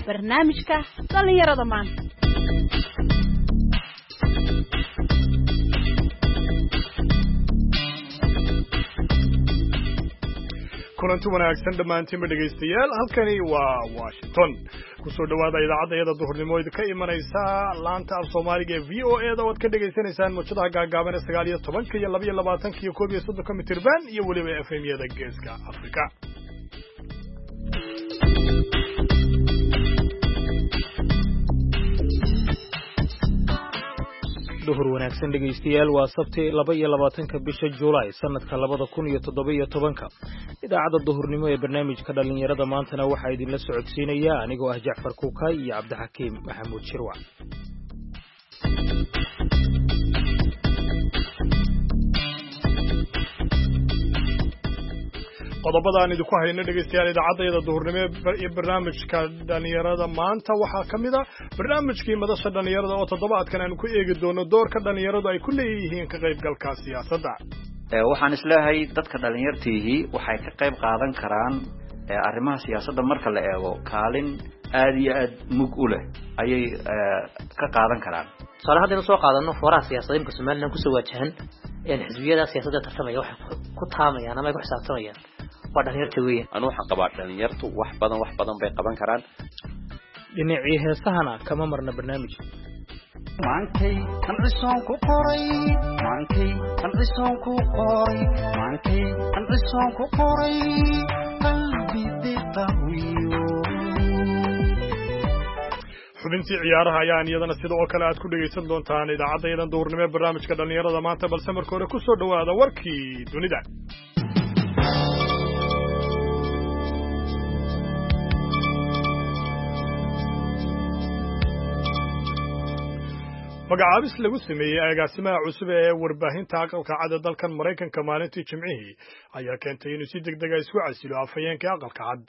Barnaamijka dhallinyarada maanta. Kulanti wanaagsan dhammaantiinba dhegaystayaal, halkani waa Washington. Kusoo dhowaada idaacadda iyada duhurnimo idinka imanaysa laanta af Soomaaliga ee VOA da, oo aad ka dhegaysanaysaan muujadaha gaagaaban ee 19-ka iyo 22-ka iyo 31-ka mitirban iyo weliba FM-yada Geeska Afrika. Duhur wanaagsan dhegaystayaal, waa Sabti, 22-ka bisha Juulaay, sanadka 2017-ka. Idaacadda duhurnimo ee barnaamijka dhallinyarada maantana waxaa idinla socodsiinaya anigoo ah Jacfar Kuukay iyo Cabdixakiim Maxamuud Shirwac. Qodobada aan idinku hayno dhegaystayaal idaacaddayada duhurnimo ee barnaamijka dhallinyarada maanta waxaa ka mid a barnaamijkii madasha dhallinyarada, oo toddobaadkan aanu ku eegi doono doorka dhallinyaradu ay ku leeyihiin ka qaybgalka siyaasadda. Waxaan isleeyahay dadka dhallinyartiihii waxay ka qayb qaadan karaan arrimaha siyaasadda. Marka la eego, kaalin aad iyo aad mug u leh ayay ka qaadan karaan. Tusaale, haddaynu soo qaadano fooraha siyaasadda imka Somaliland kusoo waajahan, xisbiyada siyaasadda tartamaya waxay ku taamayaan ama ay ku xisaabtamayaan waa dhalinyarta weeyaan. Anu waxaan qabaa dhalinyartu wax badan, wax badan bay qaban karaan. Dhinacii heesahana kama marna barnaamij. Maankay qancisoon ku qoray, maankay qancisoon ku qoray, maankay qancisoon ku qoray, qalbi diqawiyo. Xubintii ciyaaraha ayaan iyadana sida oo kale aad ku dhegaysan doontaan idaacaddayadan duhurnimo ee barnaamijka dhallinyarada maanta, balse marka hore ku soo dhowaada warkii dunida. Magacaabis lagu sameeyey agaasimaha cusub ee warbaahinta Aqalka Cad ee dalkan Maraykanka maalintii Jimcihii ayaa keentay inuu si deg dega isku casilo afhayeenka Aqalka Cad.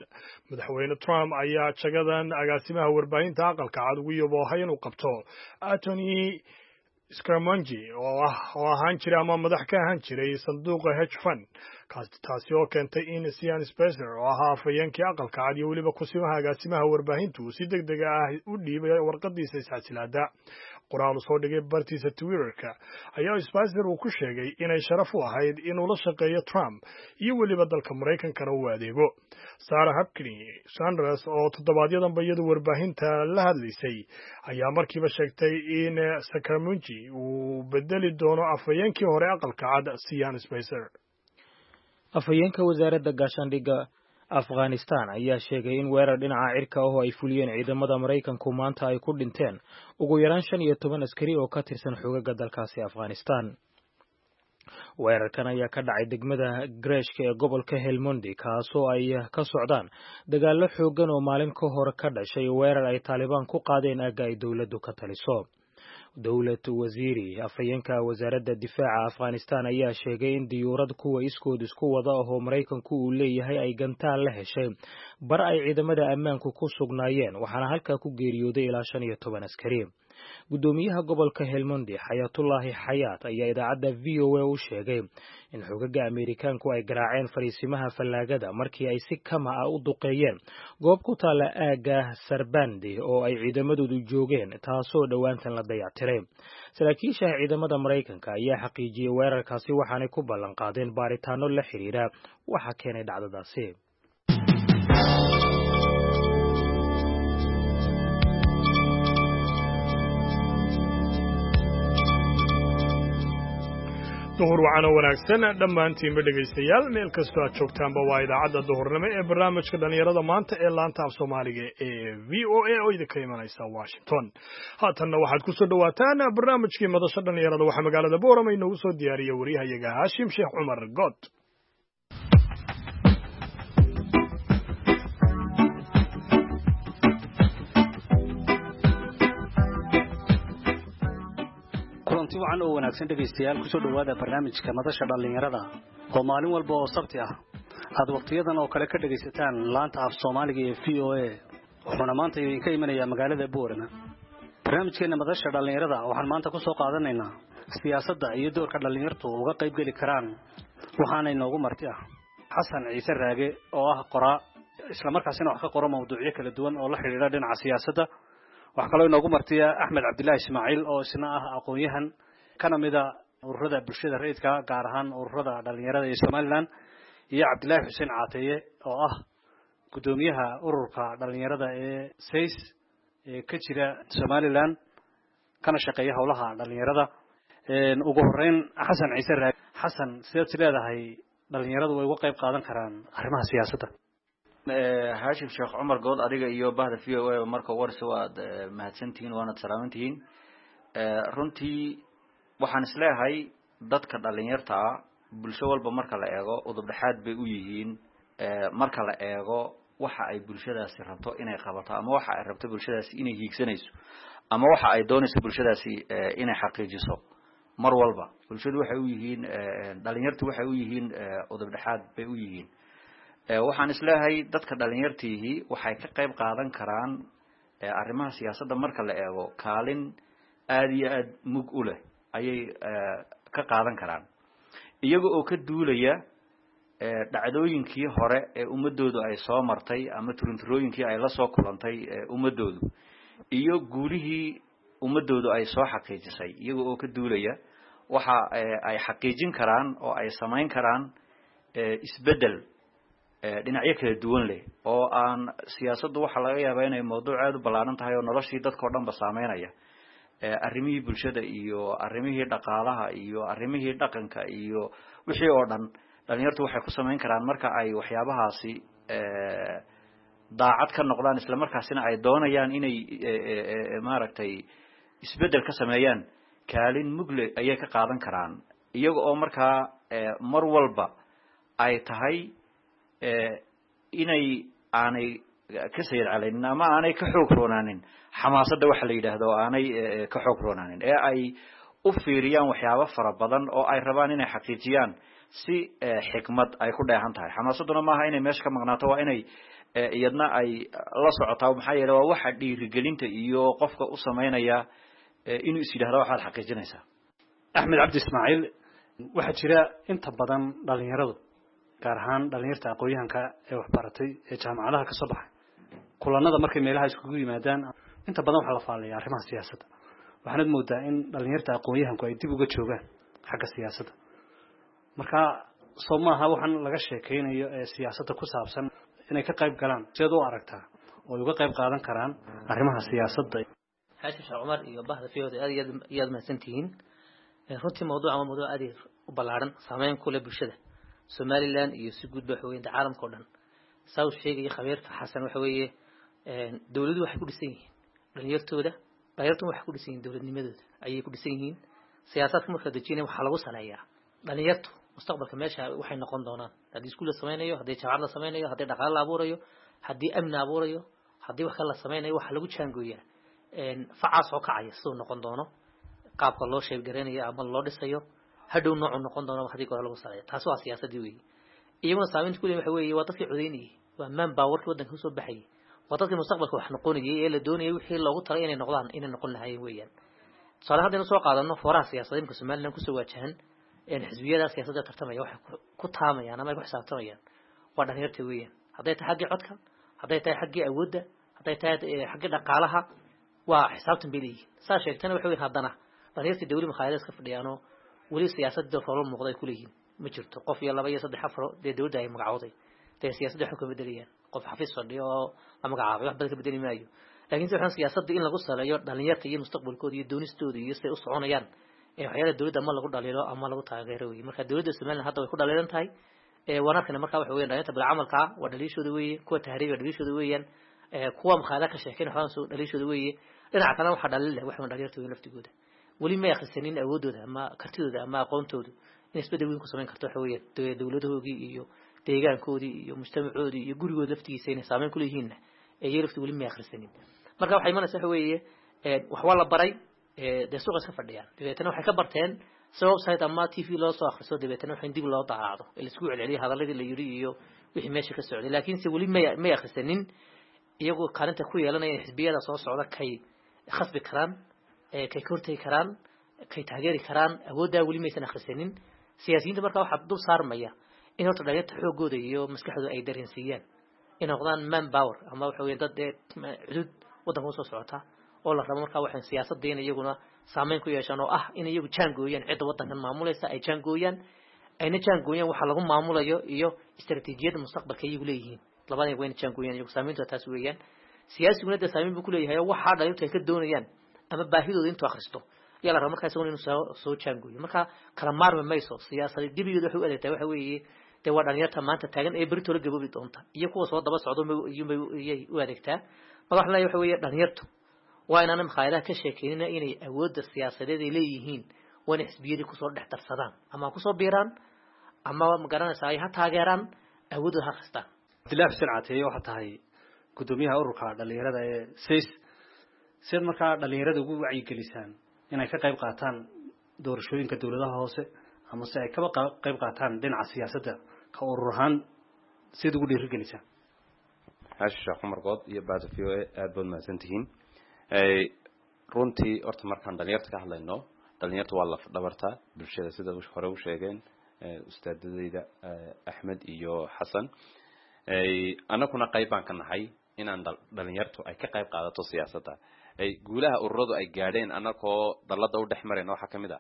Madaxweyne Trump ayaa jagadan agaasimaha warbaahinta Aqalka Cad ugu yaboohay inuu qabto Anthony Scaramucci, oo ahaan jiray ama madax ka ahaan jiray sanduuqa hedge fund, taasi oo keentay in Sean Spicer, oo ahaa afhayeenkii Aqalka Cad iyo weliba kusimaha agaasimaha warbaahintu, uu si deg dega ah u dhiibay warqadiisa iscasilaada. Qoraal uu soo dhigay bartiisa Twitterka ayaa Spicer uu ku sheegay inay sharaf u ahayd inuu la shaqeeyo Trump iyo weliba dalka Maraykankana uu adeego. Sarah Huckabee Sanders, oo toddobaadyadanba iyadu warbaahinta la hadlaysay, ayaa markiiba sheegtay in Scaramucci uu bedeli doono afhayeenkii hore Aqalka Cad Sean Spicer. Afhayeenka wasaaradda gaashaandhigga Afghanistan ayaa sheegay in weerar dhinaca cirka ah oo ay fuliyeen ciidamada Maraykanku maanta ay ku dhinteen ugu yaraan 15 askari oo ka tirsan xoogagga dalkaasi Afghanistan. Weerarkan ayaa ka dhacay degmada Greshka ee gobolka Helmondi, kaasoo ay ka socdaan dagaallo xooggan oo maalin ka hor ka dhashay weerar ay Taalibaan ku qaadeen aagga ay dowladdu ka taliso. Dowlad Wasiiri, afhayeenka wasaaradda difaaca Afghanistan, ayaa sheegay in diyuurad kuwa iskood isku wada ahoo Maraykanku uu leeyahay ay gantaal la heshay bar ay ciidamada ammaanku ku sugnaayeen, waxaana halkaa ku geeriyooday ilaa 15 askari. Guddoomiyaha gobolka Helmondi, Xayaatullaahi Xayaat, ayaa idaacadda VOA u sheegay in xogaga Ameerikaanku ay garaaceen fariisimaha fallaagada markii ay si kama ah u duqeeyeen goob ku taalla aagga Sarbandi oo ay ciidamadoodu joogeen, taasoo dhowaantan la dayactiray. Saraakiisha ciidamada Maraykanka ayaa xaqiijiyey weerarkaasi, waxaanay ku ballan qaadeen baaritaano la xiriira waxa keenay dhacdadaasi. Duhur wacano wanaagsan dhammaantiinba dhegaystayaal, meel kastoo aad joogtaanba. Waa idaacadda duhurnimo ee barnaamijka dhallinyarada maanta ee laanta af Soomaaliga ee VOA oo idinka imanaysa Washington. Haatanna waxaad ku soo dhowaataan barnaamijkii madasha dhallinyarada. Waxaa magaalada Boorama inoogu soo diyaariyey wariyahayaga Haashim Sheekh Cumar God. Kulanti wacan oo wanaagsan dhegaystayaal, kusoo dhowaada barnaamijka madasha dhallinyarada oo maalin walba oo Sabti ah aad wakhtiyadan oo kale ka dhegaysataan laanta af Soomaaliga ee VOA, wuxuuna maanta idinka imanayaa magaalada Boorama. Barnaamijkeenna madasha dhallinyarada waxaan maanta ku soo qaadanaynaa siyaasadda iyo doorka dhallinyartu uga qaybgeli karaan, waxaana inoogu marti ah Xasan Ciise Raage oo ah qoraa. Isla markaasina wax ka qoro mawduucyo kala duwan oo la xidhiidha dhinaca siyaasadda. Waxaa kaloo inoogu martiya Axmed Cabdillaahi Ismaaciil oo isna ah aqoon-yahan kana mida ururada bulshada rayidka, gaar ahaan ururada dhalinyarada ee Somaliland, iyo Cabdillaahi Xuseen Caateeye oo ah guddoomiyaha ururka dhalinyarada ee SAYS ee ka jira Somaliland kana shaqeeya howlaha dhalinyarada. Ugu horeyn Xasan Ciise Raagi. Xasan, sideed is leedahay dhalinyaradu way uga qayb qaadan karaan arrimaha siyaasadda? Haashim Sheekh Cumar Good, adiga iyo bahda VOA marka warsi waad mahadsantihiin waanad salaamantihiin. Runtii waxaan isleeyahay dadka dhalinyarta ah bulsho walba marka la eego udub dhexaad bay u yihiin. Marka la eego waxa ay bulshadaasi rabto inay qabato, ama waxa ay rabto bulshadaasi inay hiigsanayso, ama waxa ay doonayso bulshadaasi inay xaqiijiso, mar walba bulshadu waxay u yihiin, dhalinyartu waxay u yihiin udub dhexaad bay u yihiin. Waxaan isleeyahay dadka dhalinyartiihi waxay ka qayb qaadan karaan arrimaha siyaasadda marka la eego kaalin aada iyo aada mug u leh ayay ka qaadan karaan, iyaga oo ka duulaya dhacdooyinkii hore ee ummadoodu ay soo martay ama turunturooyinkii ay la soo kulantay ummadoodu iyo guulihii ummadoodu ay soo xaqiijisay. Iyaga oo ka duulaya waxa ay xaqiijin karaan oo ay samayn karaan isbeddel dhinacyo kala duwan leh oo aan siyaasaddu waxaa laga yaabaa inay mawduuc aada u ballaaran tahay oo noloshii dadkao dhan ba saameynaya, arrimihii bulshada iyo arrimihii dhaqaalaha iyo arrimihii dhaqanka iyo wixii oo dhan. Dhalinyartu waxay ku samayn karaan marka ay waxyaabahaasi daacad ka noqdaan, isla markaasina ay doonayaan inay maaragtay isbeddel ka sameeyaan, kaalin mugle ayay ka qaadan karaan, iyaga oo markaa mar walba ay tahay inay aanay ka sayid calaynin ama aanay ka xoog roonaanin xamaasadda waxa la yidhaahdo, oo aanay ka xoog roonaanin ee ay u fiiriyaan waxyaabo fara badan oo ay rabaan inay xaqiijiyaan si xikmad ay ku dheehan tahay. Xamaasadduna maaha inay meesha ka maqnaato, waa inay iyadna ay la socotaa, maxaa yeele waa waxa dhiirigelinta iyo qofka u samaynaya inuu is yidhahdo waxaad xaqiijinaysaa. Axmed Cabdi Ismaaciil, waxaa jira inta badan dhalinyaradu, gaar ahaan dhalinyarta aqoon-yahanka ee waxbaratay ee jaamacadaha ka soo baxay, kulanada markay meelaha iskugu yimaadaan inta badan waxaa la faallaya arrimaha siyaasadda. Waxaanad moodaa in dhalinyarta aqoon-yahanku ay dib uga joogaan xagga siyaasadda. Marka soo maaha waxaan laga sheekeynayo ee siyaasadda ku saabsan inay ka qayb galaan? Sideed u aragtaa oo ay uga qayb qaadan karaan arrimaha siyaasadda? Xaashim Sheekh Cumar iyo bahda VOA aad iyo aad iyaad mahadsantihiin. Runtii mawduucan waa mawduuc aad u ballaaran, saameyn ku leh bulshada Somaliland iyo si guud ba waxa weeye caalamka oo dhan. Saa uu sheegaya khabiirka Xasan, waxa weeye dawladuhu waxay ku dhisan yihiin dhalinyartooda, dhalinyartuna waxay ku dhisan yihiin dowladnimadooda ayay ku dhisan yihiin. Siyaasadka marka la dejinayo waxaa lagu saleeyaa dhalinyartu mustaqbalka meesha waxay noqon doonaan, haddii iskuul la sameynayo, haddii jaamacad la sameynayo, haddii dhaqaale la abuurayo, haddii amni la abuurayo, haddii wax kale la sameynayo, waxaa lagu jaangooyaa facaas oo kacaya siduu noqon doono, qaabka loo sheebgareynayo ama loo dhisayo, hadhow noocuu noqon doono haddii goor lagu saleeyo. Taasi waa siyaasadii weeye. Iyaguna saameynta ku leeyihin waxa weeye waa dadkii codeynayay, waa man powerkii waddanka usoo baxayay, waa dadkii mustaqbalka wax noqonayay ee la doonayay wixii loogu talay inay noqdaan inay noqon lahaayeen weeyaan. Tusaale haddaynu soo qaadano fooraha siyaasadeed imka Somaliland kusoo waajahan, xisbiyada siyaasadda tartamaya waxay ku taamayaan ama ay ku xisaabtamayaan waa dhalinyarta weeyaan. Hadday tahay xaggii codka, hadday tahay xaggii awoodda, hadday tahay xaggii dhaqaalaha, waa xisaabtan bay leeyihiin. Saa sheegtana waxa weyn, haddana dhalinyarta dawli makhaayada iska fadhiyaanoo weli siyaasadda roolo muuqda ay ku leeyihiin ma jirto. Qof iyo laba iyo saddex afar dee dawladda ay magacowday dee siyaasadda waxba ka bedelayaan? Qof xafiis fadhiyo oo la magacaabay wax badan ka bedeli maayo. Laakiin si waxaan siyaasadda in lagu saleeyo dhalinyarta iyo mustaqbalkooda iyo doonistooda iyo siday u soconayaan ee waxyaalaha dawladda ama lagu dhaliilo ama lagu taageero weeye. Marka dawladda Somaliland hadda way ku dhaliilan tahay, waan arkayna. Marka waxa weeyaan dhalinyarta bilcamalka waa dhaliishooda weeye, kuwa tahriiba dhaliishooda weeyaan, kuwa makhaayada ka sheekeyn waxbaan soo dhaliishooda weeye. Dhinaca kalena waxaa dhaliil leh waxa dhalinyarta weyn laftigooda weli may akhrisanin awoodooda ama kartidooda ama aqoontoodu in isbeddel weyn ku samayn karto waxa weeyaan dawladahoogii iyo deegaankoodii iyo mujtamacoodii iyo gurigooda laftigiisa inay saameyn ku leeyihiinna iyaga lafti weli may akhrisanin. Marka waxay imanaysa waxa weeye wax waa la baray, dee suuqa iska fadhiyaan, dabeetana waxay ka barteen si website ama TV loo soo akhriso, dabeetana waxa in dib loo daaraacdo ee laisku celceliyo hadaladii la yidhi iyo wixii meesha ka socday. Laakiinse weli may akhrisanin iyagoo kaalinta ku yeelanaya in xisbiyada soo socda kay khasbi karaan, kay ka hortegi karaan, kay taageeri karaan. Awooddaa weli maysan akhrisanin siyaasiyiinta. Marka waxaa dul saarmaya in horta dhalinyarta xooggooda iyo maskaxdooda ay dareensiiyaan Inay noqdaan man power ama waxa weeye dad dee cudud waddanka usoo socota oo la rabo markaa waxaan siyaasadda in iyaguna saameyn ku yeeshaan, oo ah in iyagu jaangooyaan cidda waddankan maamulaysa, ay jaangooyaan, ayna jaangooyaan waxa lagu maamulayo iyo istaraatiijiyadda mustaqbalka iyagu leeyihiin. Labadan wayna jaangooyaan iyagu, saameyntu taas weeyaan. Siyaasiguna dee saameyn buu kuleeyahay oo waxaa dhalintu ay ka doonayaan ama baahidooda intuu akhristo ayaa la rabaa markaa isaguna inuu soo jaangooyo. Marka kala maarmi mayso. Siyaasada gebigeeda waxay u adeegtaa waxa weeye dee waa dhalinyarta maanta taagan ee berito la gaboobi doonta iyo kuwa soo daba socdo iyay u adeegtaa. Marka waxaan leeyahay waxa weeye dhalinyartu waa inaana makhaayadaha ka sheekeynina inay awoodda siyaasadeed ay leeyihiin, waa inay xisbiyadii kusoo dhex darsadaan ama ha kusoo biiraan ama magaranaysa ay ha taageeraan, awooddooda ha akhristaan. Cabdillahi Xuseen Cateeye, waxaa tahay guddoomiyaha ururka dhalinyarada ee SACE. Sidaad markaa dhalinyarada ugu wacyigelisaan inay ka qayb qaataan doorashooyinka dowladaha hoose ama se ay kaba qayb qaataan dhinaca siyaasadda, ka urur ahaan sidaad ugu dhiirigelisaan? Xaashi Sheekh Cumar Good iyo bahda VOA, aada baad mahadsan tihiin. Runtii horta markaan dhalinyarta ka hadlayno, dhalinyarta waa laf dhabarta bulshada, sida hore u sheegeen ustaadadeyda Axmed iyo Xasan. Annaguna qayb baan ka nahay inaan dhalinyartu ay ka qayb qaadato siyaasadda. Guulaha ururadu ay gaadheen annagoo dallada u dhex marayna waxaa kamid a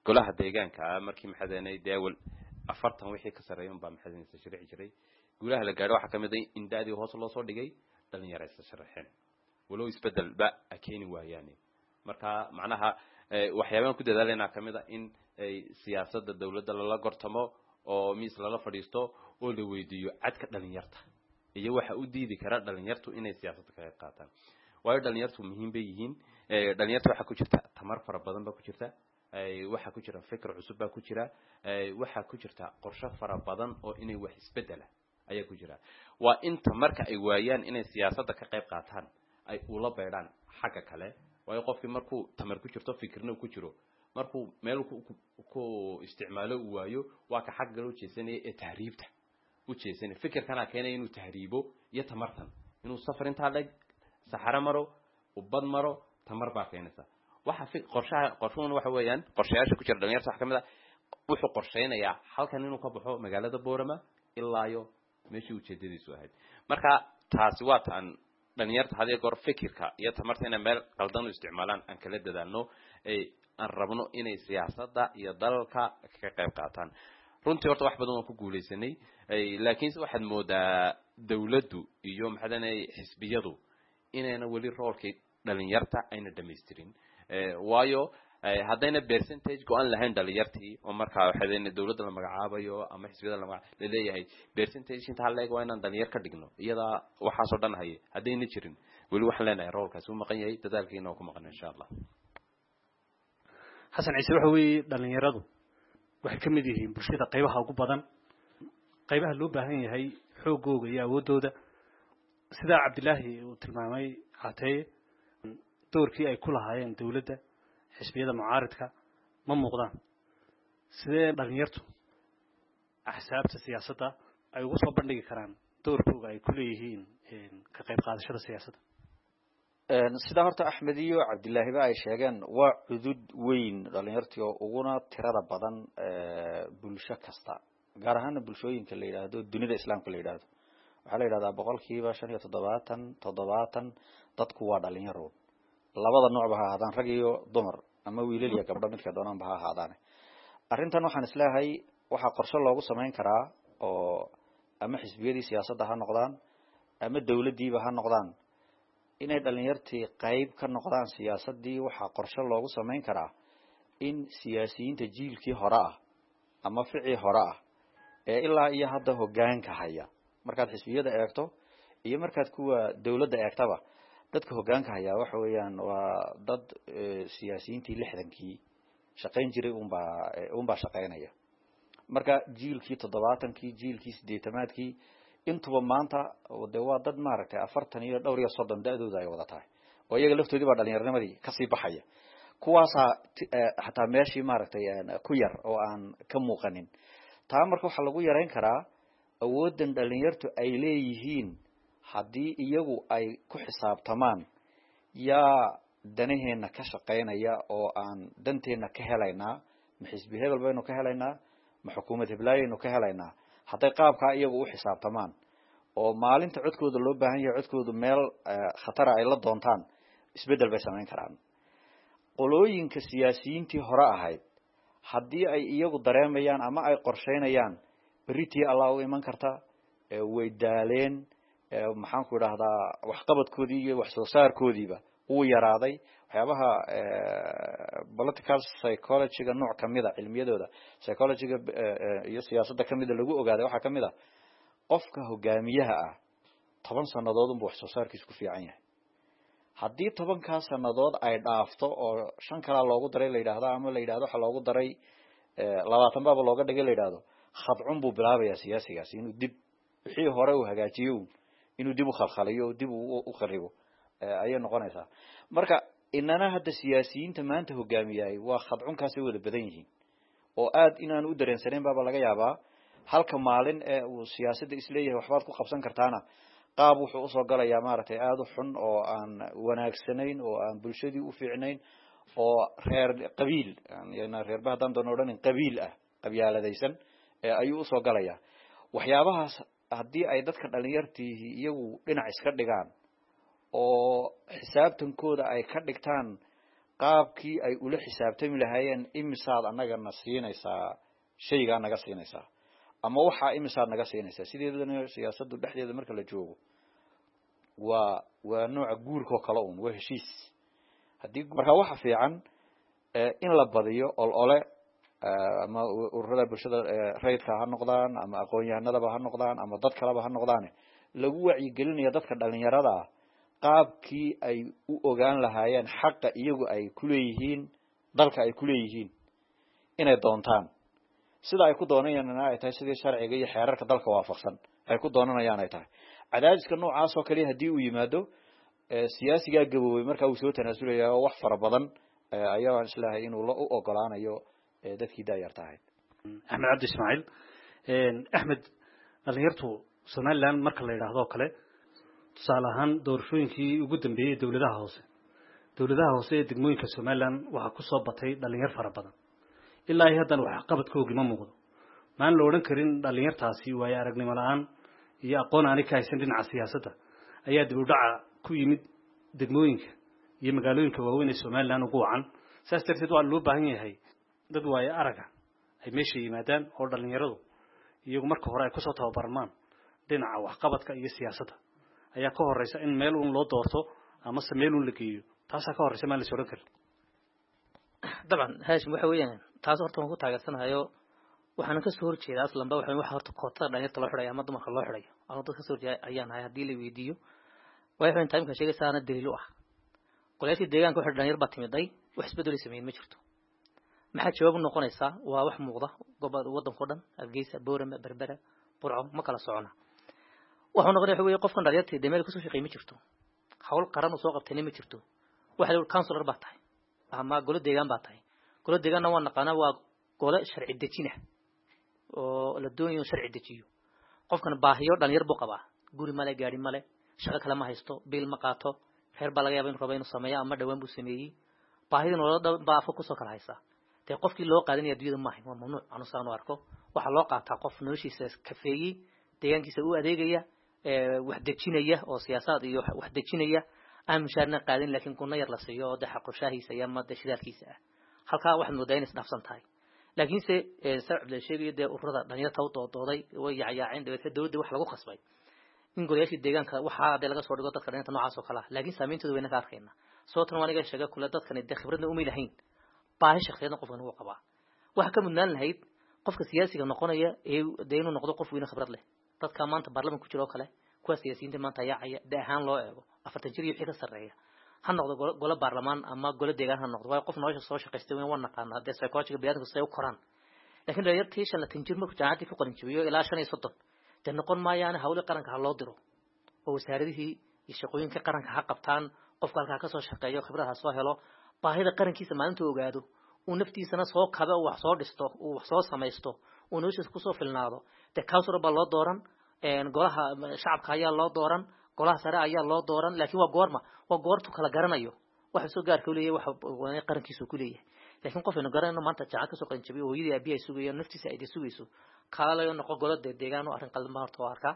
golaha deegaanka markii maxadanay dee awal 40 wixii ka sarreeya unbaa maxadanaysa sharici jiray. Guulaha la gaadho waxaa kamid a in da-dii hoos loo soo dhigay, dhalinyaro isa sharaxeen, walow isbedelba a keeni waayaane. Marka macnaha waxyaabahan ku dadaalaynaa kamid a in siyaasadda dawladda lala gortamo oo miis lala fadhiisto oo la weydiiyo cadka dhalinyarta iyo waxa u diidi kara dhalinyartu inay siyaasadda ka qayb qaataan, waayo dhalinyartu muhiim bay yihiin. Dhalinyarta waxaa ku jirta tamar fara badan baa ku jirta, waxaa ku jira fikir cusub baa ku jira, waxaa ku jirta qorshe fara badan oo inay wax isbedela ayaa ku jira. Waa inta marka ay waayaan inay siyaasadda ka qayb qaataan ay ula beedhaan xagga kale, waayo qofkii markuu tamar ku jirto, fikirna ku jiro, markuu meel ku isticmaalo uu waayo, waa ka xagga kale ujeesanaya ee tahriibta u jeesanaya. Fikirkanaa keenaya inuu tahriibo iyo tamartan inuu safar intaa leg saxaro maro, ubad maro, tamar baa keenaysa. Waxa qorshaha qorshuhuna waxa weeyaan qorshayaasha ku jira dhalinyarta waxa kamid ah wuxuu qorsheynayaa halkan inuu ka baxo magaalada Boorama ilaa iyo meeshii ujeedadiisu ahayd. Marka taasi waa ta aan dhalinyarta had iyo goor fikirka iyo tamarta inay meel qaldan u isticmaalaan aan kala dadaalno, aan rabno inay siyaasadda iyo dalalka ka qayb qaataan. Runtii horta wax badan waan ku guuleysanay, laakiinse waxaad moodaa dawladdu iyo maxadanay xisbiyadu inayna weli roolkii dhalinyarta ayna dhamaystirin, waayo haddayna percentage go-an lahayn dhalinyartii oo markaa waxaadayna dawladda la magacaabayo ama xisbiyada la laleeyahay percentage intaa leeg waa inaan dhalinyar ka dhigno, iyadaa waxaasoo dhan haye haddayna jirin, weli waxaan leenahay roolkaasi u maqan yahay, dadaalkiina waa ku maqan insha Allah. Xasan Ciise, waxa weeye dhalinyaradu waxay ka mid yihiin bulshada qaybaha ugu badan, qaybaha loo baahan yahay xooggooga iyo awooddooda. Sidaa Cabdilaahi uu tilmaamay Cateeye, doorkii ay ku lahaayeen dawladda, xisbiyada mucaaridka ma muuqdaan. Sidee dhalinyartu axsaabta siyaasadda ay ugu soo bandhigi karaan doorkooga ay ku leeyihiin ka qayb qaadashada siyaasadda? Sidaa horta Axmed iyo Cabdilaahiba ay sheegeen, waa cudud weyn dhalinyartii oo uguna tirada badan bulsho kasta, gaar ahaana bulshooyinka la yidhaahdo dunida islaamka la yidhaahdo. Waxaa la yidhahdaa 75%, 70% dadku waa dhalinyaro, labada noocba ha ahaadaan, rag iyo dumar ama wiilal iyo gabdho, midka doonaanba ha ahaadaane. Arrintan waxaan isleeyahay waxaa qorshe loogu samayn karaa oo ama xisbiyadii siyaasadda ha noqdaan ama dawladdiiba ha noqdaan inay dhalinyartii qayb ka noqdaan siyaasaddii. Waxaa qorshe loogu samayn karaa in siyaasiyiinta jiilkii hore ah ama ficii hore ah ee ilaa iyo hadda hoggaanka haya, markaad xisbiyada eegto iyo markaad kuwa dawladda eegtaba, dadka hoggaanka hayaa waxa weeyaan waa dad siyaasiyiintii 60-kii shaqayn jiray unbaa shaqaynaya. Marka jiilkii 70-kii, jiilkii 80-aadkii, intuba maanta de waa dad maaragtay 40 iyo dhowr iyo 30 da-dooda ay wada tahay oo iyaga laftoodii baa dhalinyaarnimadii kasii baxaya. Kuwaasaa xataa meeshii maaragtay ku yar oo aan ka muuqanin. Taa marka waxaa lagu yarayn karaa awooddan dhalinyartu ay leeyihiin haddii iyagu ay ku xisaabtamaan yaa danaheena ka shaqaynaya oo aan danteenna ka helaynaa, ma xisbi hebel baynu ka helaynaa, ma xukuumad heblaayaynu ka helaynaa. Hadday qaabkaa iyagu u xisaabtamaan Oo maalinta codkooda loo baahan yahay, codkoodu meel khatara ay la doontaan, isbeddel bay samayn karaan. Qolooyinka siyaasiyiintii hore ahayd, haddii ay iyagu dareemayaan ama ay qorsheynayaan berritii Allah u iman karta, way daaleen, maxaan ku idhahdaa, waxqabadkoodii iyo wax soo saarkoodiiba wuu yaraaday. Waxyaabaha political psychology-ga nooc kamida, cilmiyadooda psychology-ga iyo siyaasadda kamida lagu ogaaday, waxaa kamid a qofka hogaamiyaha ah 10 sanadood unba wax soo saarkiisu ku fiican yahay. Haddii 10-kaa sanadood ay dhaafto oo 5 kalaa loogu daray la yidhaahdo, ama la yidhahdo waxa loogu daray 20 baaba looga dhigay la yidhahdo, khadcun buu bilaabayaa siyaasigaasi inuu dib wixii hore uu hagaajiyo inuu dib u khalkhaliyo, dib u kharibo ayay noqonaysaa. Marka inana hadda siyaasiyiinta maanta hogaamiyaay waa khadcunkaasay wada badan yihiin, oo aad inaan u dareensanayn baaba laga yaabaa. Halka maalin ee uu siyaasadda isleeyahay waxbaad ku qabsan kartaana, qaab wuxuu usoo galayaa maaragtay aada u xun oo aan wanaagsanayn oo aan bulshadii u fiicnayn, oo reer qabiil, reerba haddaan doono odhanin, qabiil ah, qabyaaladaysan ayuu usoo galayaa. Waxyaabahaas haddii ay dadka dhalinyartiihi iyagu dhinac iska dhigaan oo xisaabtankooda ay ka dhigtaan qaabkii ay ula xisaabtami lahaayeen, imisaad annagana siinaysaa, shaygaa naga siinaysaa, ama waxaa imisaad naga siinaysaa. Sideedana siyaasaddu dhexdeeda marka la joogo waa nooca guurka oo kale un, waa heshiis. Haddii marka waxa fiican in la badiyo olole, ama ururada bulshada rayidka ha noqdaan, ama aqoon-yahanadaba ha noqdaan, ama dad kaleba ha noqdaane, lagu wacyigelinayo dadka dhalinyarada ah qaabkii ay u ogaan lahaayeen xaqa iyagu ay kuleeyihiin dalka ay kuleeyihiin inay doontaan, sida ay ku doonayaan ay tahay sidii sharciga iyo xeerarka dalka waafaqsan ay ku doonanayaan ay tahay. Cadaadiska noocaas oo kaliya haddii uu yimaado, siyaasigaa gaboobay markaa uu soo tanaasulaya, oo wax fara badan ayaa islahay inuu la u ogolaanayo dadkii daayarta ahayd. Axmed Cabdi Ismaaciil Axmed, dhalinyartu Somaliland marka la yidhaahdo o kale, tusaale ahaan doorashooyinkii ugu dambeeyey ee dowladaha hoose ee degmooyinka Somaliland waxaa kusoo batay dhalinyar fara badan. Ilaa iyo haddana waxqabadkoogii ma muuqdo. Maan la odhan karin dhalinyartaasi waayo aragnimo la-aan iyo aqoon aanay ka haysan dhinaca siyaasadda ayaa dib u dhaca ku yimid degmooyinka iyo magaalooyinka waaweyn ee Somaliland ugu wacan? Saas darteed waa loo baahan yahay dad waayo araga ay meesha yimaadaan, oo dhalinyaradu iyagu marka hore ay kusoo tababarmaan dhinaca waxqabadka iyo siyaasadda ayaa ka horeysa in meel uun loo doorto amase meel uun la geeyo. Taasaa ka horeysa, maan la is odhan karin? Dabcan Haashim, waxa weeyaan taas horta waan ku taageersanahayo. Waxaana kasoo horjeeda aslanba waxa horta kootada dhalinyarta loo xidhayo ama dumarka loo xidhayo. Anu dad kasoo horjeeda ayaan ahay haddii la weydiiyo. Waayo waxaan timeka sheegaysaana daliil u ah golayaashii deegaanka waxa dhalinyar baa timiday, wax isbeddel sameeyeen ma jirto. Maxaa jawaab u noqonaysaa? Waa wax muuqda gobolka waddanka o dhan, Hargeysa, Boorama, Berbera, Burco, ma kala socona. Waxuu noqonaya waxa weeye qofkan dhalinyarta dee meel kasoo shaqeey ma jirto, hawl qaran uu soo qabtayna ma jirto. Waxa la councilor baa tahay ama golo deegaan baa tahay. Golo deegaanna waa naqaanaa, waa gole sharci dejina oo la doonayo in sharci dejiyo. Qofkan baahiyo dhalinyar buu qabaa, guri male, gaari male, shaqo kale ma haysto, biil ma qaato, reer baa laga yaaba inuu rabo inuu sameeyo ama dhawaan buu sameeyey. Baahida nolol baa afka kusoo kala haysaa. Dee qofkii loo qaadanaya adduunyada maahay, waa mamnuuc. Anu saan u arko, waxaa loo qaataa qof noloshiisa kafeeyey, deegaankiisa u adeegaya, wax dejinaya oo siyaasaad iyo wax dejinaya, aan mushaarna qaadin, laakiin gunno yar la siiyo oo dee xaqrushaahiisa iyo ama dee shidaalkiisa ah. Halkaa waxaad moodaa inay isdhaafsan tahay. Laakiinse saa Cabdilla sheegayo, dee ururada dhalinyarta u doodooday way yacyaaceen, dabeetna dowladda wax lagu khasbay in golayaashii deegaanka waxaa dee laga soo dhigo dadka dhalinyarta noocaas oo kale ah. Laakiin saameyntooda wayna ka arkayna. Sababtan waa aniga sheega kule, dadkani dee khibradna umay lahayn, baahi shakhsiyadna qofkan wuu qabaa. Waxa ka mudnaan lahayd qofka siyaasiga noqonaya ee dee inuu noqdo qof weyne khibrad leh. Dadka maanta baarlamanka ku jira oo kale, kuwa siyaasiyiinta maanta yaacaya, de ahaan loo eego 40 jir iyo wixii ka sarreeya ha noqdo golo baarlamaan ama golo deegaan ha noqdo, waayo qof nolosha soo shaqaystay weyn, waa naqaanaa dee psychologiga biniadamku siday u koraan. Laakiin dhalinyartii 25 jir markuu jaamacaddii ku qalin jabiyo ilaa 35 dee noqon maayaane, hawli qaranka ha loo diro oo wasaaradihii iyo shaqooyinka qaranka ha qabtaan. Qofka halkaa kasoo shaqeeyo, khibrad ha soo helo, baahida qarankiisa maalintuu ogaado, uu naftiisana soo kabe, uu wax soo dhisto, uu wax soo samaysto, uu noloshiisa kusoo filnaado. Dee councilor baa loo dooran, golaha shacabka ayaa loo dooran, golaha sare ayaa loo dooran. Laakiin waa goorma? Waa goortu kala garanayo waxa soo gaarka u leeyahay, waxa qarankiisa ku leeyahay. Laakiin qof aynu garanayno maanta jaacad kasoo qalin jabiyo, hooyadii aabihi ay sugayaan, naftiisa ay sugayso, kaalayo noqo golo dee deegaan, oo arrin qaldan baan horta oo arkaa.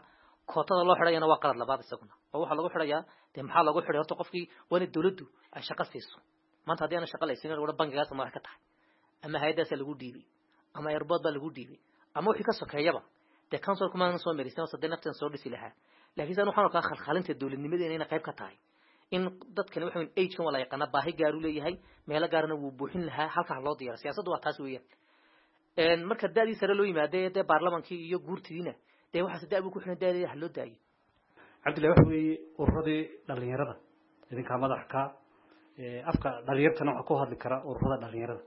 Kootada loo xidhayana waa qalad labaad isaguna, oo waxaa lagu xidhayaa dee maxaa loogu xidhay? Horta qofkii waa inay dawladdu ay shaqo siiso. Maanta haddii aana shaqa laysiin, wada bangigaas madax ka tahay ama hay-addaasa lagu dhiibay ama airport baa lagu dhiibay ama wixii ka sokeeyaba, dee council kumaanan soo merisan oo sadee naftan soo dhisi lahaa. Laakiin san waxaan arkaa khalkhalinta dowladnimadeena inay qayb ka tahay in dadkani waxa weyn age-kan waa la yaqaanaa, baahi gaar u leeyahay, meelo gaarna wuu buuxin lahaa, halkaa loo diyaara. Siyaasaddu waa taas weeyaan. Marka da'dii sare loo yimaadee dee baarlamankii iyo guurtidiina dee waxaas da' buu ku xiran, da'deeda ha loo daayo. Cabdillahi, waxa weeye ururadii dhalinyarada idinkaa madax ka, afka dhalinyartana waxaa ku hadli kara ururada dhalinyarada,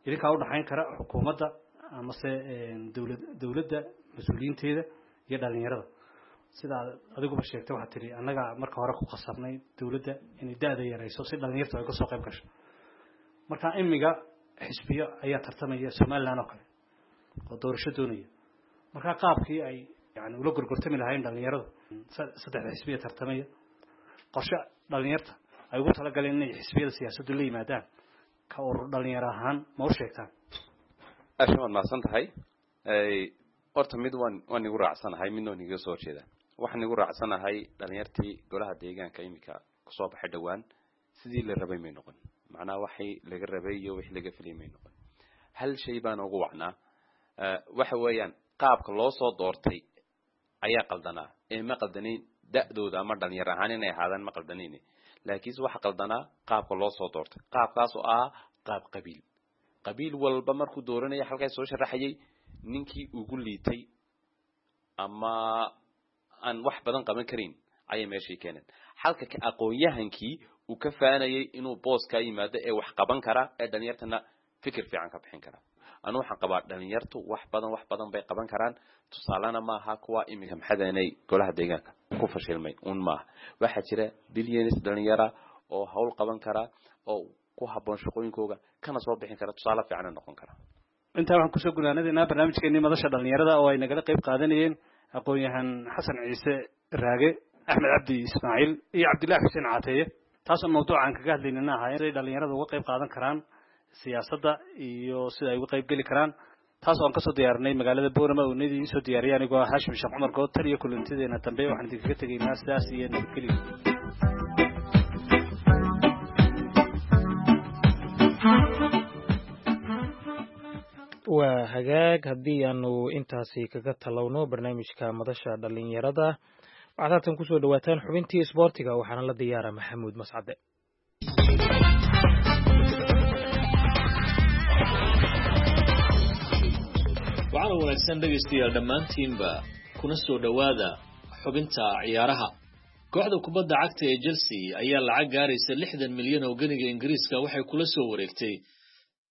idinkaa udhaxayn kara xukuumadda amase dowlad dowladda mas-uuliyiinteeda iyo dhalinyarada. Sida aad adiguba sheegtay, waxaad tihi annagaa marka hore ku khasabnay dowladda inay da'da yarayso si dhalinyartu ay kasoo qayb gasho. Marka imiga xisbiyo ayaa tartamaya Somaliland oo kale oo doorasho doonaya. Marka qaabkii ay yani ula gorgortami lahayn dhalinyaradu saddexda xisbiya tartamaya, qorshe dhalinyarta ay ugu talagaleen inay xisbiyada siyaasaddu la yimaadaan ka urur dhalinyaro ahaan ma u sheegtaan? Asha, waad mahadsan tahay. Horta mid waan igu raacsanahay, midna waan igaga soo horjeedaa. Waxaan igu raacsanahay dhalinyartii golaha deegaanka iminka kusoo baxay dhowaan sidii la rabay may noqon, macnaha waxay laga rabay iyo wixii laga filayay may noqon. Hal shay baan ugu wacnaa, waxa weeyaan qaabka loo soo doortay ayaa qaldanaa ee ma qaldanayn da'dooda ama dhalinyar ahaan inay ahaadaan ma qaldanayn, laakiinse waxa qaldanaa qaabka loo soo doortay, qaabkaas oo ah qaab qabiil. Qabiil walba markuu dooranaya halkaas soo sharaxayay ninkii ugu liitay ama aan wax badan qaban karin ayay meeshii keeneen, halka ka aqoon-yahankii uu ka faanayay inuu booskaa yimaado ee wax qaban kara ee dhalinyartana fikir fiican ka bixin kara. Anu waxaan qabaa dhalinyartu wax badan, wax badan bay qaban karaan. Tusaalena maaha kuwa iminka maxadanay golaha deegaanka ku fashilmay un maaha, waxaa jira billions dhalinyara oo hawl qaban kara oo ku habboon shaqooyinkooga kana soo bixin kara, tusaale fiicana noqon kara. Intaa waxaan kusoo gunaanadaynaa barnaamijkeenii madasha dhalinyarada oo ay nagala qayb qaadanayeen aqoon-yahan Xasan Ciise Raage, Axmed Cabdi Ismaaciil iyo Cabdillahi Xuseen Caateeye, taasoo mawduuca aan kaga hadlaynana ahaa siday dhalinyarada uga qayb qaadan karaan siyaasadda iyo sida ay uga qayb geli karaan, taas oo aan kasoo diyaarinay magaalada Boorama oo nidii iisoo diyaariyay anigoo ah Haashim Sheekh Cumar Good. Tan iyo kulantideena dambe waxaan idinkaga tegaynaa sidaas iyo nabadgelyo. Waa hagaag, haddii aanu intaasi kaga talowno barnaamijka madasha dhalinyarada, waxaad haatan kusoo dhawaataan xubintii isboortiga, waxaana la diyaara Maxamuud Mascade. Waxaana wanaagsan dhegaystayaal dhammaantiinba, kuna soo dhowaada xubinta ciyaaraha. Kooxda kubadda cagta ee Chelsea ayaa lacag gaaraysa 60 milyan oo geniga Ingiriiska waxay kula soo wareegtay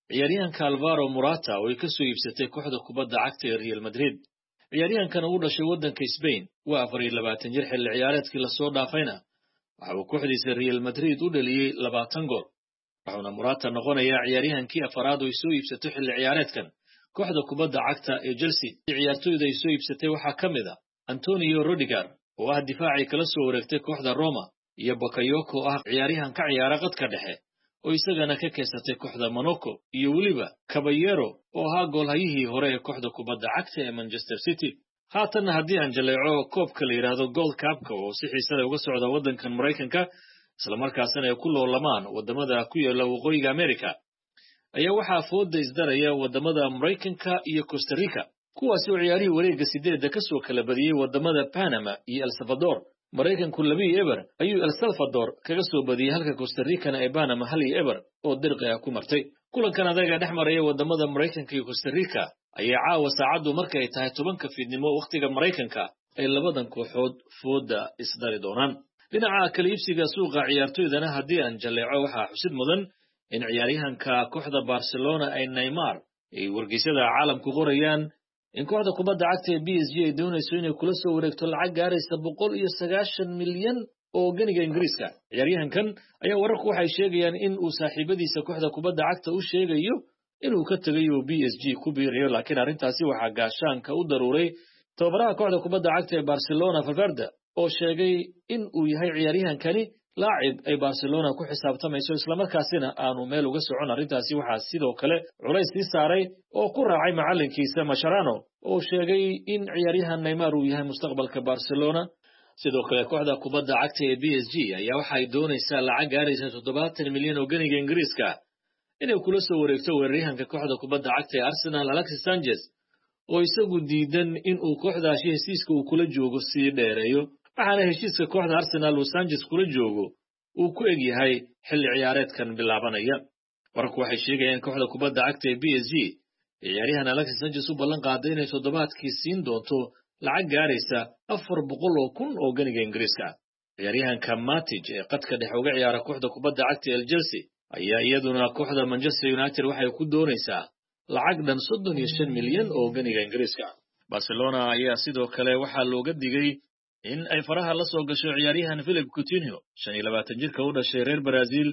ciyaaryahanka Alvaro Morata oo ay ka soo iibsatay kooxda kubadda cagta ee Real Madrid. Ciyaaryahankan ugu dhashay waddanka Spain waa 24 jir. Xilli ciyaareedkii lasoo dhaafayna waxa uu kooxdiisa Real Madrid u dhaliyey 20 gool, wuxuuna Morata noqonayaa ciyaaryahankii afaraad oo ay soo iibsato xilli ciyaareedkan kooxda kubadda cagta ee Chelsea. Ciyaartoyda ay soo iibsatay waxaa ka mid a Antonio Rudiger oo ah difaacay kala soo wareegtay kooxda Roma, iyo Bakayoko oo ah ciyaaryahan ka ciyaara qadka dhexe oo isagana ka keensatay kooxda Monaco, iyo weliba Caballero oo ahaa goolhayihii hore ee kooxda kubadda cagta ee Manchester City. Haatanna haddii aan jaleeco koobka la yidhaahdo Gold Cupka oo si xiise leh uga socda waddankan Maraykanka, islamarkaasina ay ku loolamaan waddamada ku yaala Waqooyiga America, ayaa waxaa fooda isdaraya waddamada Maraykanka iyo Costa Rica, kuwaasi oo ciyaarihii wareegga sideedda ka soo kala badiyey waddamada Panama iyo El Salvador. Maraykanku 2-0 ayuu El Salvador kaga soo badiyey, halka Costa Ricana ay Panama 1-0 oo dirqi ah ku martay. Kulankan adaga dhex maraya waddamada Maraykanka iyo Costa Rica ayaa caawa saacaddu marka ay tahay 10-ka fiidnimo wakhtiga Maraykanka ay labadan kooxood fooda isdari doonaan. Dhinaca kala iibsiga suuqa ciyaartoydana haddii aan jalleeco, waxaa xusid mudan in ciyaaryahanka kooxda Barcelona ay Neymar ay wargeysyada caalamku qorayaan in kooxda kubadda cagta ee PSG ay doonayso inay kula soo wareegto lacag gaaraysa 190 milyan oo geniga Ingiriiska. Ciyaaryahankan ayaa wararku waxay sheegayaan in uu saaxiibadiisa kooxda kubadda cagta u sheegayo inuu ka tegayo PSG ku biirayo, laakiin arrintaasi waxaa gaashaanka u daruuray tababaraha kooxda kubadda cagta ee Barcelona Valverde oo sheegay in uu yahay ciyaaryahankani laacib ay Barcelona ku xisaabtamayso, islamarkaasina aanu meel uga socon arrintaasi. Waxaa sidoo kale culays sii saaray oo ku raacay macallinkiisa Mascherano oo sheegay in ciyaaryahan Neymar uu yahay mustaqbalka Barcelona. Sidoo kale kooxda kubadda cagta ee PSG ayaa waxay doonaysaa lacag gaaraysa 70 milyan oo ganiga Ingiriiska inay kula soo wareegto weeraryahanka kooxda kubadda cagta ee Arsenal Alexis Sanchez, oo isagu diidan in uu kooxdaasi heshiiska uu kula joogo sii dheereeyo, waxaana heshiiska kooxda Arsenal uu Sanchez kula joogo uu ku eg yahay xilli ciyaareedkan bilaabanaya. Wararku waxay sheegayaan kooxda kubadda cagta ee PSG ciyaaryahan Alexis Sanchez u ballan qaaday inay toddobaadkii siin doonto lacag gaaraysa 400,000 oo ganiga Ingiriiska. Ciyaaryahanka Matic ee qadka dhexe uga ciyaara kooxda kubadda cagta ee Chelsea ayaa iyaduna kooxda Manchester United waxay ku doonaysaa lacag dhan 35 milyan oo ganiga Ingiriiska. Barcelona ayaa sidoo kale waxaa looga digay in ay faraha la soo gasho ciyaaryahan Philip Coutinho, 25 jirka u dhashay reer Brazil,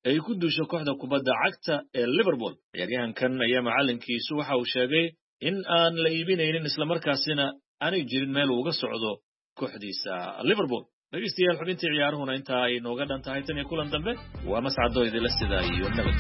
ay ku duusho kooxda kubadda cagta ee Liverpool. Ciyaaryahankan ayaa macallinkiisu waxa uu sheegay in aan la iibinaynin, islamarkaasina aanay jirin meel uu uga socdo kooxdiisa Liverpool. Dhegeystayaal, xubintii ciyaaruhuna intaa ay nooga dhan tahay. Tan iyo kulan dambe, waa mascado idinla sidaa iyo nabad.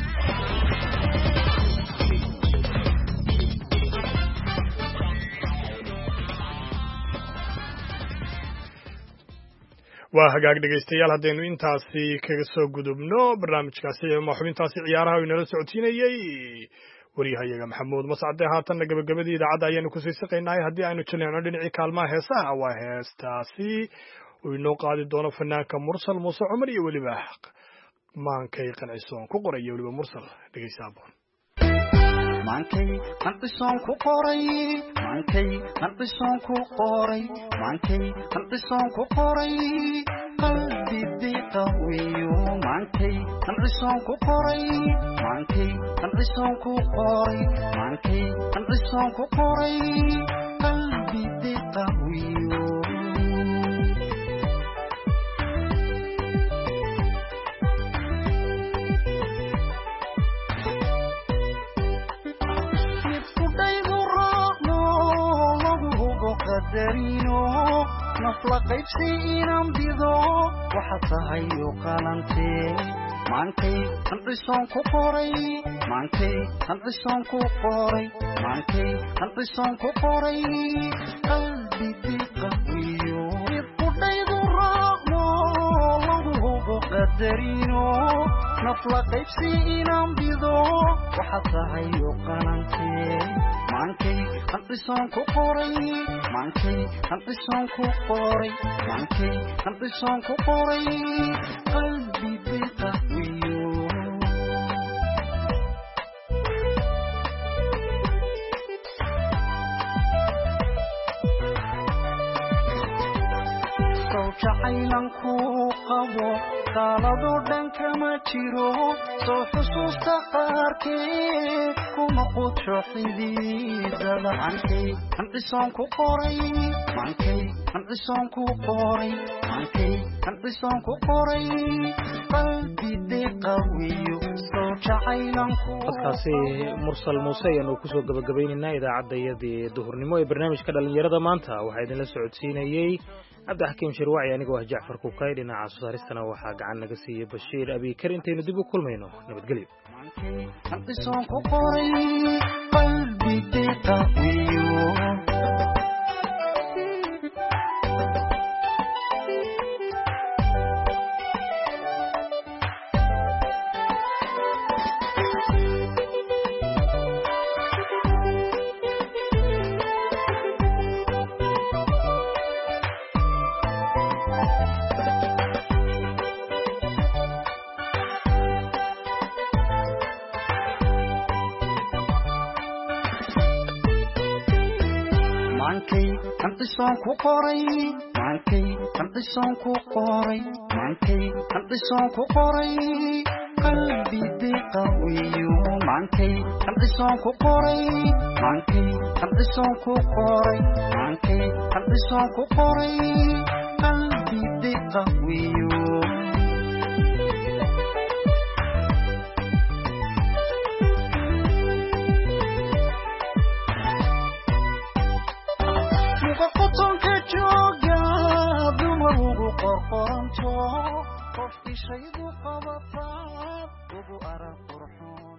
Waa hagaag dhegaystayaal, haddaynu intaasi kaga soo gudubno barnaamijkaasi ama xubintaasi ciyaaraha inala socodsiinayey waryahayaga Maxamuud Mascade. Haatanna gabagabadii idaacadda ayaanu kusii siqaynahay. Haddii aynu jaleecno dhinacii kaalmaha heesaha, waa heestaasi uu inoo qaadi doono fanaanka Mursal Muuse Cumar iyo weliba Maankay Qancisoon ku qoray iyo weliba Mursal. Dhegeysa aboon. Maankay qancisoon ku qoray, maankay qancisoon ku qoray, maankay qancisoon ku qoray, qalbi diqawiyo. Maankay qancisoon ku qoray, maankay qancisoon ku qoray, maankay qancisoon ku qoray, qalbi diqawiyo. Nafla qaybsi inaan bido waxa tahay u qalantee. Maankay qancisoon ku qoray, maankay qancisoon ku qoray, maankay qancisoon ku qoray, qalbi diqawiyo. Qudhaydu raacno lagu hubo qadarino, nafla qaybsi inaan bido waxa tahay u qalantee. Maankay qancisoon ku qoray, maankay qancisoon ku qoray, maankay qancisoon ku qoray, qalbi diqawiyo. Jacaylan ku qabo qaaladoo dhan kama jiro, soo xusuusta qaarkeed kuma qudsho xididada. Maankay qancisoon ku qoray, maankay qancisoon ku qoray, maankay qancisoon ku qoray, qalbi deeqawiyo soo jacaylan ku. Codkaasi Mursal Muuse ayaanu kusoo gabagabaynaynaa idaacaddayadii duhurnimo ee barnaamijka dhallinyarada maanta. Waxaa idinla socodsiinayey Cabdixakiim Shirwaci, anigoo ah Jacfar Kukay. Dhinaca soo saaristana waxaa gacan naga siiyey Bashiir Abiikar. Intaynu dib u kulmayno, nabadgelyo. Qancisoon ku qoray, qalbi deeqawiyo. Maankay qancisoon ku qoray, maankay qancisoon ku qoray, maankay qancisoon ku qoray, qalbi diqawiyo. Maankay qancisoon ku qoray, maankay qancisoon ku qoray, maankay qancisoon ku qoray, qalbi diqawiyo. Qotonka jooga dumar ugu qorqoranto. Qof ishaydu qabataad ugu arag qurxoon.